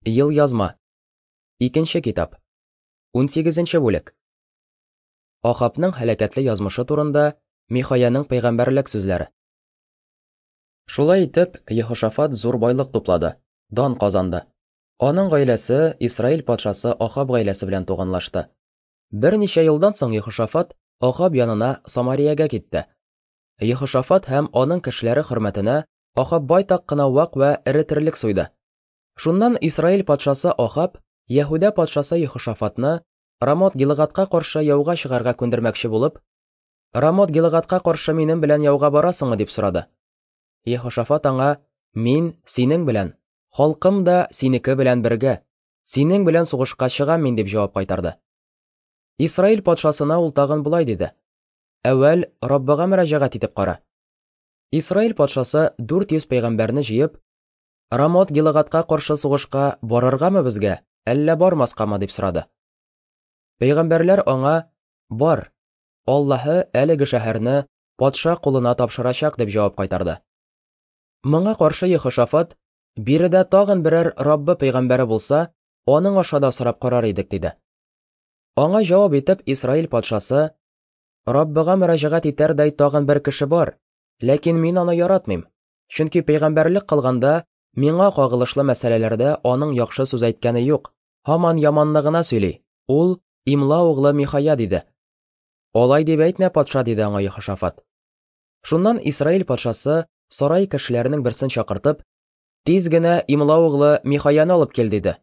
Елъязма. Икенче китап. Унсигезенче бүлек. Ахабның һәлакәтле язмышы турында Михаяның пәйгамбәрлек сүзләре. Шулай итеп, Еһошафат зур байлык туплады, дан казанды. Аның гаиләсе Исраил патшасы Ахаб гаиләсе белән туганлашты. Берничә елдан соң Еһошафат Ахаб янына Самариягә китте. Еһошафат һәм аның кешеләре хөрмәтенә Ахаб байтак кына вак вә эре терлек суйды. Шуннан Исраил патшасы Ахаб Яһүдә патшасы Еһошафатны Рамот-Гилгадка каршы яуга чыгарга күндермәкче булып, Рамот-Гилгадка каршы минем белән яуга барасыңмы дип сорады. Еһошафат аңа, Мин синең белән, халкым да синеке белән бергә, синең белән сугышка чыгам мин дип җавап кайтарды. Исраил патшасына ул тагын болай диде: Әүвәл Раббыга мөрәҗәгать итеп кара. Исраил патшасы 400 пәйгамбәрне җыеп, Рамот Гилагатка каршы сугышка барыргамы безгә, әллә бармаскамы дип сорады. Пәйгамбәрләр аңа, Бар, Аллаһы әлеге шәһәрне патша кулына тапшырачак дип җавап кайтарды. Моңа каршы Ехошафат, биредә тагын берәр Раббы пәйгамбәре булса, аның аша да сорап карар идек, диде. Аңа җавап итеп Исраил патшасы, Раббыга мөрәҗәгать итәрдәй тагын бер кеше бар, ләкин мин аны яратмыйм, Чөнки пәйгамбәрлек кылганда миңа кагылышлы мәсьәләләрдә аның яхшы сүз әйткәне юк, һаман яманны гына сөйли. Ул Имла углы Михая диде. Алай дип әйтмә, патша, диде аңа Ехошафат. Шуннан Исраил патшасы сарай кешеләренең берсен чакыртып, тиз генә Имла углы Михаяны алып кил, диде.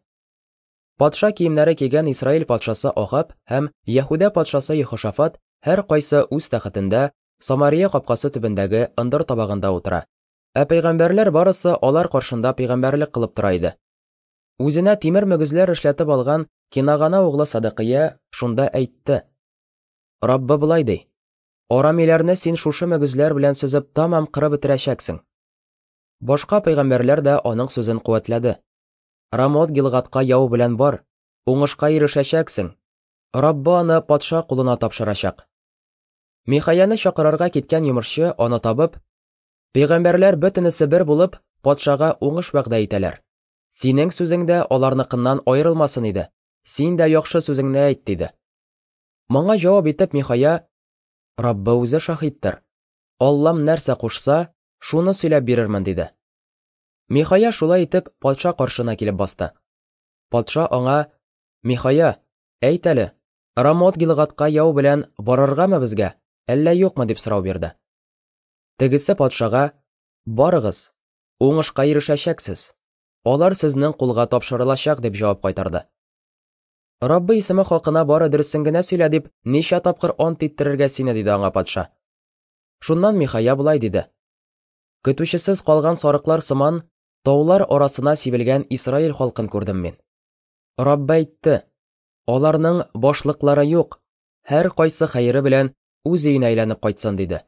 Патша киемнәре кигән Исраил патшасы Ахаб һәм Яһүдә патшасы Ехошафат һәркайсы үз тәхетендә Самария капкасы төбендәге ындыр табагында утыра. Ә пәйгамбәрләр барысы алар каршында пәйгамбәрлек кылып тора иде. Үзенә тимер мөгезләр эшләтеп алган Кинагана углы Садыкыя шунда әйтте. Раббы болай ди: Арамиләрне син шушы мөгезләр белән сөзеп тамам кырып бетерәчәксең. Башка пәйгамбәрләр дә аның сүзен куәтләде. Рамот Гилгадка яу белән бар, уңышка ирешәчәксең. Раббы аны патша кулына тапшырачак. Михаяны чакырырга киткән йомышчы аны табып, Пәйгамбәрләр бөтенесе бер булып, патшага уңыш вәгъдә итәләр. Синең сүзең дә аларныкыннан аерылмасын иде. Син дә яхшы сүзеңне әйт, диде. Моңа җавап итеп Михая, Раббы үзе шаһиттыр. Аллам нәрсә кушса, шуны сөйләп бирермен, диде. Михая шулай итеп патша каршына килеп басты. Патша аңа, Михая, әйт әле, Рамот Гилгадка яу белән барыргамы безгә, әллә юкмы дип сорау бирде. Тегесе патшага, Барыгыз, уңышка ирешәчәксез. Алар сезнең кулга тапшырылачак дип җавап кайтарды. Раббы исеме хакына бары дөресен генә сөйлә дип, ничә тапкыр ант иттерергә сине, диде аңа патша. Шуннан Михая болай диде. Көтүчесез калган сарыклар сыман, таулар арасына сибелгән Исраил халкын күрдем мин. Раббы әйтте, Аларның башлыклары юк, һәркайсы хәере белән үз өенә әйләнеп кайтсын, диде.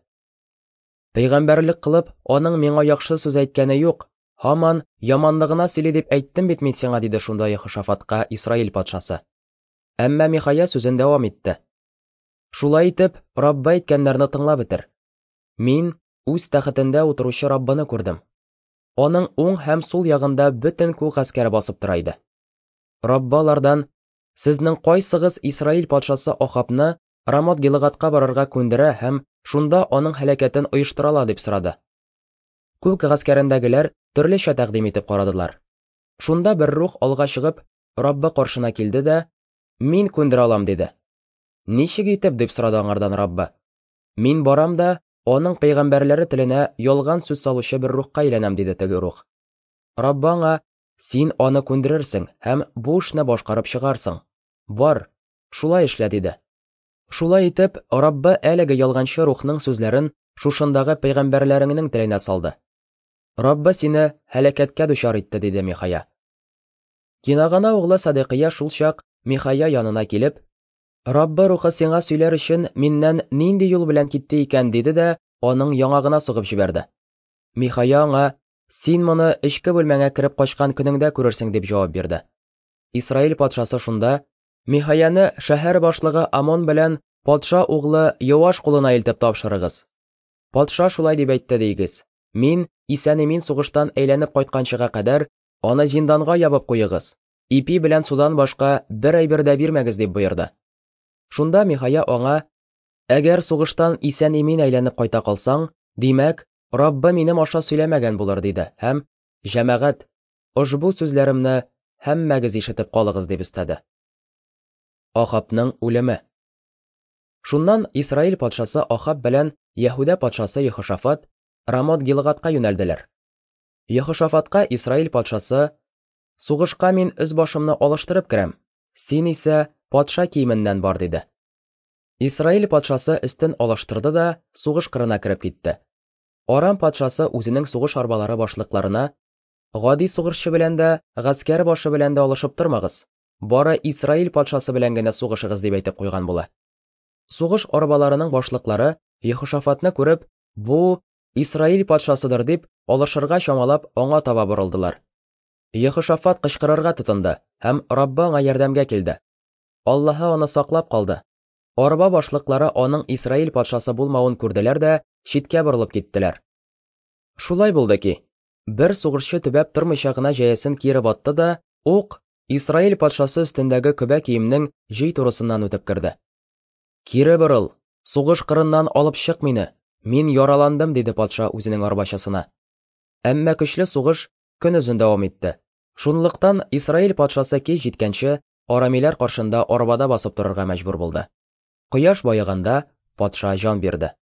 Пәйгамбәрлек кылып, аның миңа яхшы сүз әйткәне юк, һаман яманны гына сөйли дип әйттем бит мин сиңа, диде шунда Ехошафатка Исраил патшасы. Әмма Михая сүзен дәвам итте. Шулай итеп, Раббы әйткәннәрне тыңлап бетер. Мин үз тәхетендә утыручы Раббыны күрдем. Аның уң һәм сул ягында бөтен күк гаскәре басып тора иде. Раббы алардан, Сезнең кайсыгыз Исраил патшасы Ахабны Рамот Гилгадка барырга күндерә һәм шунда аның һәлакәтен оештыра ала дип сорады. Күк гаскәрендәгеләр төрлечә тәкъдим итеп карадылар. Шунда бер рух алга чыгып, Раббы каршына килде дә, Мин күндерә алам, диде. Ничек итеп, дип сорады аңардан Раббы. Мин барам да, аның пәйгамбәрләре теленә ялган сүз салучы бер рухка әйләнәм, диде теге рух. Раббы аңа, Син аны күндерерсең һәм бу эшне башкарып чыгарсың. Бар, шулай эшлә, диде. Шулай итеп, Раббы әлеге ялганчы рухның сүзләрен шушындагы пәйгамбәрләреңнең теленә салды. Раббы сине һәлакәткә дучар итте, диде Михая. Кинагана углы Садекия шул чак Михая янына килеп, Раббы рухы сиңа сөйләр өчен миннән нинди юл белән китте икән, диде дә аның яңагына сугып җибәрде. Михая аңа, Син моны эчке бүлмәңә кереп качкан көнеңдә күрерсең, дип җавап бирде. Исраил патшасы шунда, Михаяны шәһәр башлыгы Амон белән патша углы Йоаш кулына илтеп тапшырыгыз. Патша шулай дип әйтте диегез. Мин исән-имин сугыштан әйләнеп кайтканчыга кадәр аны зинданга ябып куегыз. Ипи белән судан башка бер әйбер дә бирмәгез, дип боерды. Шунда Михая аңа, Әгәр сугыштан исән-имин әйләнеп кайта калсаң, димәк, Раббы минем аша сөйләмәгән булыр, диде һәм, Җәмәгать, ошбу сүзләремне һәммәгез ишетеп калыгыз, дип өстәде. Ахабның үлеме. Шуннан Исраил патшасы Ахаб белән Яһүдә патшасы Ехошафат Рамот-Гилгадка юнәлделәр. Ехошафатка Исраил патшасы, Сугышка мин өс башымны алыштырып керәм, син исә патша киеменнән бар, диде. Исраил патшасы өстен алыштырды да сугыш кырына кереп китте. Арам патшасы үзенең сугыш арбалары башлыкларына, Гади сугышчы белән дә, гаскәр башы белән дә алышып тормагыз, бары Исраил патшасы белән генә сугышыгыз, дип әйтеп куйган була. Сугыш арбаларының башлыклары Ехошафатны күреп, бу Исраил патшасыдыр дип, алышырга чамалап, аңа таба борылдылар. Ехошафат кычкырырга тотынды, һәм Раббы аңа ярдәмгә килде. Аллаһы аны саклап калды. Арба башлыклары аның Исраил патшасы булмавын күрделәр дә читкә борылып киттеләр. Шулай булды ки, бер сугышчы төбәп тормыйча гына җәясен киереп атты да, ук Исраил патшасы өстендәге көбә киемнең җөй турысыннан үтеп керде. Кире борыл, сугыш кырыннан алып чык мине, мин яраландым, диде патша үзенең арбачасына. Әмма көчле сугыш көнозын дәвам итте. Шунлыктан Исраил патшасы кич җиткәнче арамиләр каршында арбада басып торырга мәҗбүр булды. Кояш баеганда патша җан бирде.